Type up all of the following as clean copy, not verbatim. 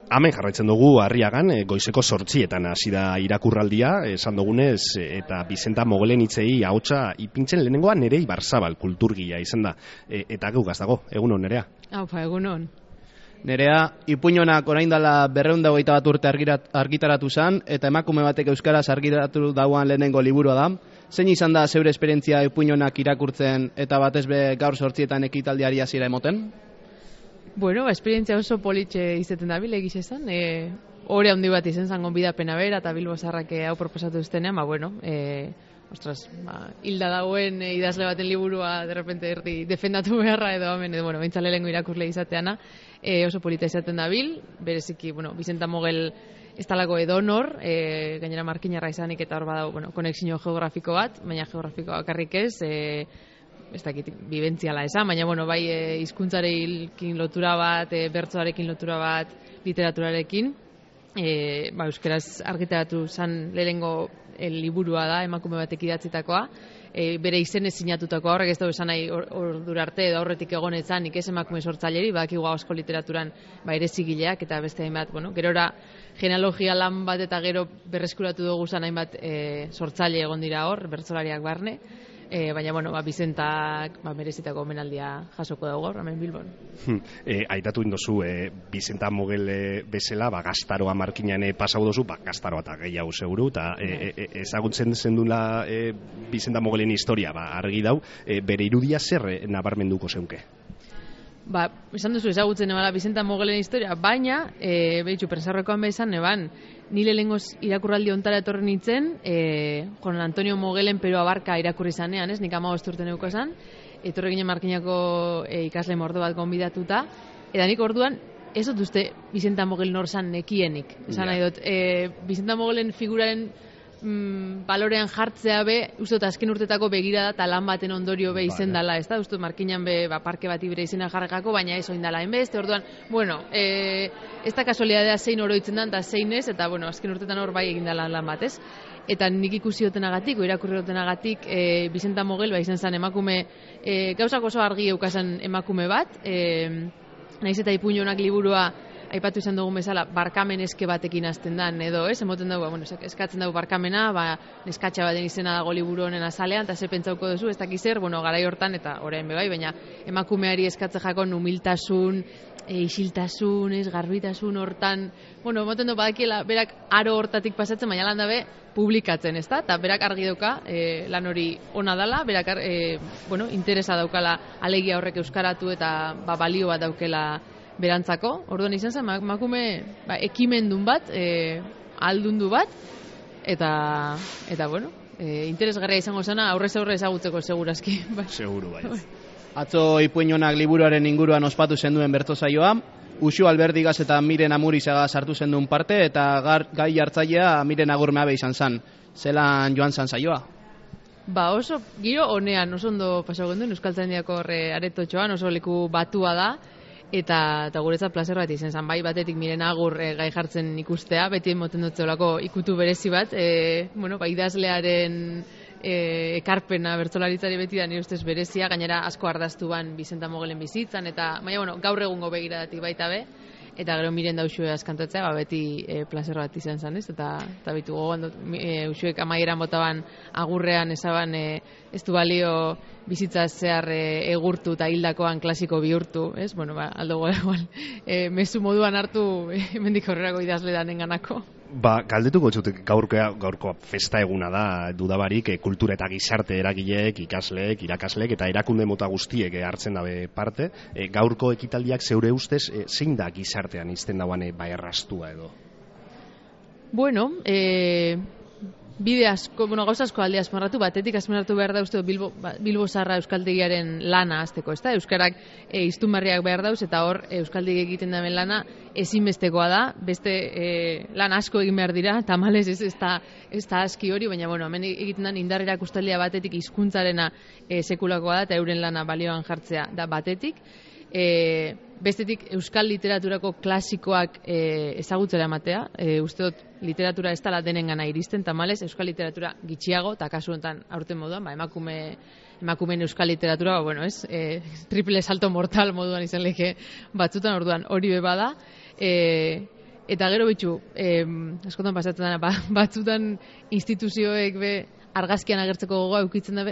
Hemen jarraitzen dugu Arriagan, goizeko 8etan hasi da irakurraldia, esan dugunez, eta Bizenta Mogelen hitzei ahotsa ipintzen lehenengoa Nerei Barzabal kulturgia izan da. Eta gugaz dago, egunon Nerea? Aupa, egunon. Nerea, ipuñonak orain dela 221 urte argitaratu zen, eta emakume batek euskaraz argitaratu dauan lehenengo liburua da. Zein izan da zeure esperientzia ipuñonak irakurtzen eta batez be gaur 8etan ekitaldiari hasiera emoten? Bueno, esperientzia oso politxe izaten dabil, egiz esan. Hore handi bat izen zangon bidapena bera, eta Bilbo Zaharrak hau proposatu duztenean, hilda dagoen idazle baten liburua derrepente erdi defendatu beharra edo hemen, bueno, bentsale lehengo irakurle izateana, oso polita izaten dabil, bereziki, Bizenta Mogel ez talako edonor, gainera markinarra izanik eta hor badau, konexio geografiko bat, baina geografiko bakarrik ez dakit bibentziala esan, baina bai hizkuntzarekin lotura bat, bertsoarekin lotura bat, literaturarekin, euskeraz argitaratu zan lehenengo liburua da, emakume batek idatzitakoa, bere izenez sinatutakoa, horrek ez da esan nahi ordura arte edo aurretik egonetzan, nik ez emakume sortzaileri, badakigu asko literaturan ere zigileak eta beste hainbat, gerora genealogia lan bat eta gero berreskuratu dugu zan hainbat sortzaile egon dira hor, bertsolariak barne, baina, Bizentak merezitako omenaldia jasoko dago gaur, hemen Bilbon. Aitatu indozu, Bizenta Mogel bezala, Gaztaroa markinan pasau dozu, Gaztaroa eta gehiago seguru, eta ezagutzen zendula Bizenta Mogelen historia, argi dau, bere irudia zer nabarmenduko zeunke? Esan duzu ezagutzen ebala Bizenta Mogelen historia, baina, prensarrokoan behizan, nile lehengoz irakurraldi ontara etorri nintzen, Juan Antonio Mogelen Pero Abarka irakurri zanean, nik 15 urte neuko esan, etorri ginen Markinako ikasle mordo bat gonbidatuta, eta nik orduan, ez dut uste Bizenta Mogel norzan nekienik. Esan nahi dut, Bizenta Mogelen figuraren balorean jartzea uste dut azken urtetako begirada eta lan baten ondorio izen dala, ez da? Uste dut Markinan parke bati bere izena jarrekako, baina ez oin dala enbeste, orduan, ez da kasualidadea zein oroitzen da, eta zein ez, eta azken urtetan hor egin dala lan bat, ez? Eta nik ikusi dutenagatik, irakurri dutenagatik, Bizenta Mogel izan zen emakume, gauzak oso argi eukazen emakume bat, nahiz eta ipuñonak liburua aipatu izan dugun bezala, barkamen eske batekin hasten dan, edo, emoten dugu, eskatzen dugu barkamena, neskatxa baten izena dago liburu honen azalean, eta ze pentsauko duzu, ez dakiz zer, garai hortan, eta orain bebai, baina emakumeari eskatze jakon humiltasun, isiltasun, garbitasun hortan, emoten dugu badakiela, berak aro hortatik pasatzen, baina lan dabe, publikatzen, ez da? Eta berak argi dauka, lan hori ona dala, berak, interesa daukala alegia horrek euskaratu, eta balio bat daukela berantzako, orduan izan zen, emakume ekimendun bat, aldundu bat, eta interesgarria izango zena, aurrez aurre ezagutzeko segurazki. Seguru, bai. Atzo ipuñonak liburuaren inguruan ospatu zenduen bertsosaioa, Uxu Alberdigaz eta Miren Amurizaga sartu zenduen parte, eta gai hartzailea Miren Agurmeabe izan zen. Zelan joan zan saioa? Oso, giro honean, oso ondo pasau genduen, Euskaltzaindiako aretotxoan, oso leku batua da, eta guretzat plazer bat izan zen, batetik Miren Agur gai jartzen ikustea, beti emoten dut zeolako ikutu berezi bat, idazlearen ekarpena bertsolaritzari beti da nire ustez berezia, gainera asko ardaztu ban Bizenta Mogelen bizitzan, eta gaur egungo begiradatik baita be, eta gero Miren da Uxue askantatzea, beti plazer bat izan zen, ez? Eta bitu gogoan dut, Uxuek amaieran botaban agurrean esaban ez du balio bizitza zehar egurtu eta hildakoan klasiko bihurtu, ez? Aldo igual, mezu moduan hartu hemendik aurrerako idazle danenganako. Galdetuko txutik, gaurko festa eguna da, dudabarik, kultura eta gizarte eragileek, ikasleek, irakasleek eta erakunde mota guztiek hartzen dabe parte. Gaurko ekitaldiak zeure ustez, zein da gizartean izten dauan errastua edo? Bide asko, gauza asko alde azmarratu, batetik azmarratu behar da uste Bilbo Zaharra euskaltegiaren lana azteko, ez da? Euskarak iztunbarriak behar dauz, eta hor euskaldegi egiten daben lana ezinbestekoa da, beste lan asko egin behar dira, tamalez ez da aski hori, baina hemen egiten den indar erakustaldia batetik hizkuntzarena sekulakoa da, eta euren lana balioan jartzea da batetik. Bestetik euskal literaturako klasikoak ezagutzera ematea, uste dut literatura ez dela denengana iristen, tamalez euskal literatura gitxiago, eta kasu honetan aurten moduan, emakumeen euskal literatura, triple salto mortal moduan izan leke batzutan, orduan hori beba da, Eta gero bitxu, askotan pasatzen dena, batzutan instituzioek argazkian agertzeko gogoa eukitzen da,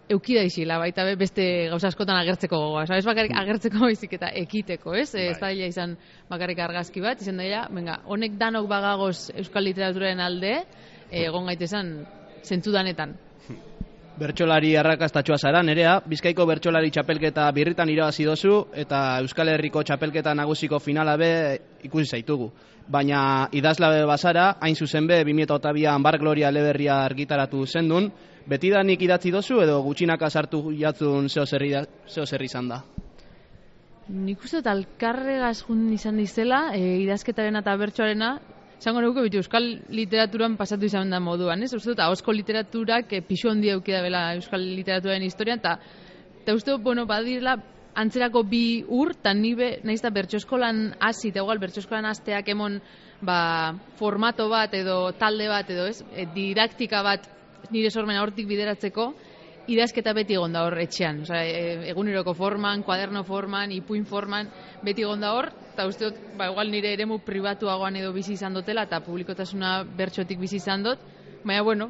eukida isila, baita beste gauza askotan agertzeko gogoa. Ez bakarrik agertzeko baizik eta ekiteko, ez? Ez da izan bakarrik argazki bat, izan daia, honek danok bagagoz euskal literaturaren alde, egon gaitezan zentzudanetan. Bertsolari arrakastatxoa zara, Nerea, Bizkaiko bertsolari txapelketa birritan irabazi dozu eta Euskal Herriko txapelketa nagusiko finala ikusi zaitugu. Baina idazlabe bazara, hain zuzen 2002an Bar Gloria eleberria argitaratu zendun, betidanik idatzi dozu edo gutxinaka sartu jatzun zeo zer izan da? Nik uste dut alkarregaz jun izan dizela, idazketaren eta bertsoarena, zango nuke euskal literaturan pasatu izan da moduan, ez? Uste dut, ahozko literaturak pixu handia eukida bela euskal literaturaren historian, eta uste dut, badirela, antzerako bi eta nahiz da bertsoeskolan hasi, eta igual bertsoeskolan hasteak emon formato bat edo talde bat edo ez, didaktika bat nire sormena hortik bideratzeko, idazketa beti egon da hor etxean, eguneroko forman, kuaderno forman, ipuin forman, beti egon da hor, eta uste dut, igual nire eremu pribatuagoan edo bizi izan dutela, eta publikotasuna bertsotik bizi izan dut, baina,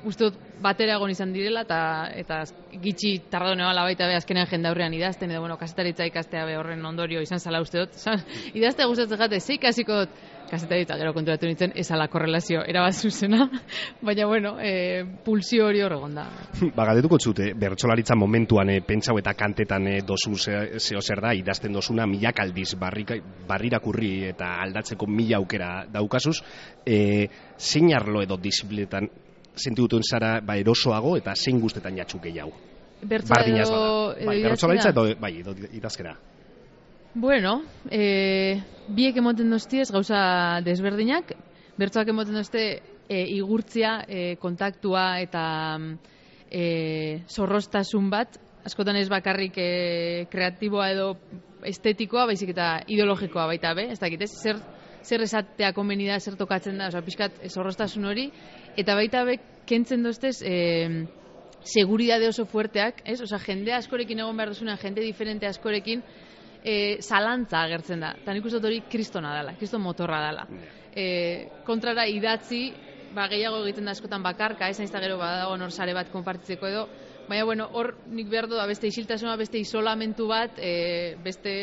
uste dut batera egon izan direla, eta gitxi tardone bala baita azkenean jendaurrean idazten, edo, kasetaritza ikastea horren ondorio izan zala uste dut, idaztea gustatzen jate, zeik hasiko dut, kasetaritza gero konturatu nintzen, ezala korrelazio erabat zuzena, baina, pulsio hori hor egon da. Galdetuko zute, bertsolaritza momentuan pentsau eta kantetan dozu zeo zer da, idazten dozuna milak aldiz barrirakurri eta aldatzeko mila aukera daukazuz, zein arlo edo disiplinetan sentituten zara erosoago eta zein guztetan jatxuk gehiago? Bertsolaritza edo idazkera. Bueno, biek emoten doztiez gauza desberdinak, bertsoak emoten dozte igurtzia, kontaktua eta zorroztasun bat, askotan ez bakarrik kreatiboa edo estetikoa, baizik eta ideologikoa baita ez dakit, zer esatea komeni da, zer tokatzen da, pixkat zorroztasun hori, eta baita kentzen doztez seguridade oso fuerteak, ez? Jende askorekin egon behar duzuna, jende diferente askorekin, zalantza agertzen da. Eta nik uste hori kristona dela, kriston motorra dela. Kontrara idatzi, gehiago egiten da askotan bakarka, ez naiz da gero badago nor sare bat konpartitzeko edo, baina hor nik behar du da beste isiltasuna, beste isolamentu bat, beste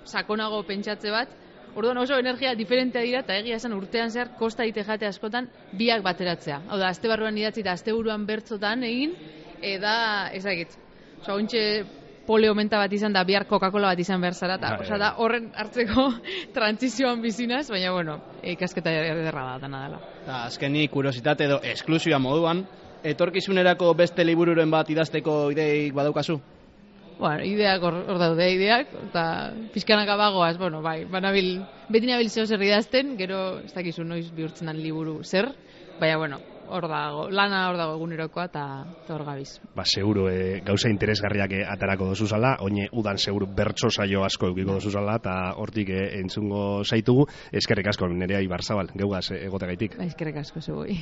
sakonago pentsatze bat, orduan oso energia diferentea dira, eta egia esan urtean zehar kosta ite jate askotan biak bateratzea. Hau da, aste barruan idatzi eta aste buruan bertzotan egin, da, ezagit, ontxe poleo menta bat izan da, bihar Coca-Cola bat izan behar zara, eta da horren hartzeko trantzizioan bizinaz, baina, ikasketa ederra da dana dela. Azkenik, kuriositate edo esklusioa moduan, etorkizunerako beste libururen bat idazteko ideik badaukazu? Ideak hor daude ideak, eta pixkanaka bagoaz, beti nabil zeo zer idazten, gero ez dakizu noiz bihurtzen dan liburu zer, baina, hor dago, lana hor dago egunerokoa eta hor gabiz. Seguro, gauza interesgarriak atarako dozuzala, oine udan seguro bertso saio asko eukiko dozuzala, eta hortik entzungo zaitugu, eskerrik asko Nerea Ibarzabal, geugaz egotegaitik. Eskerrik asko zugoi.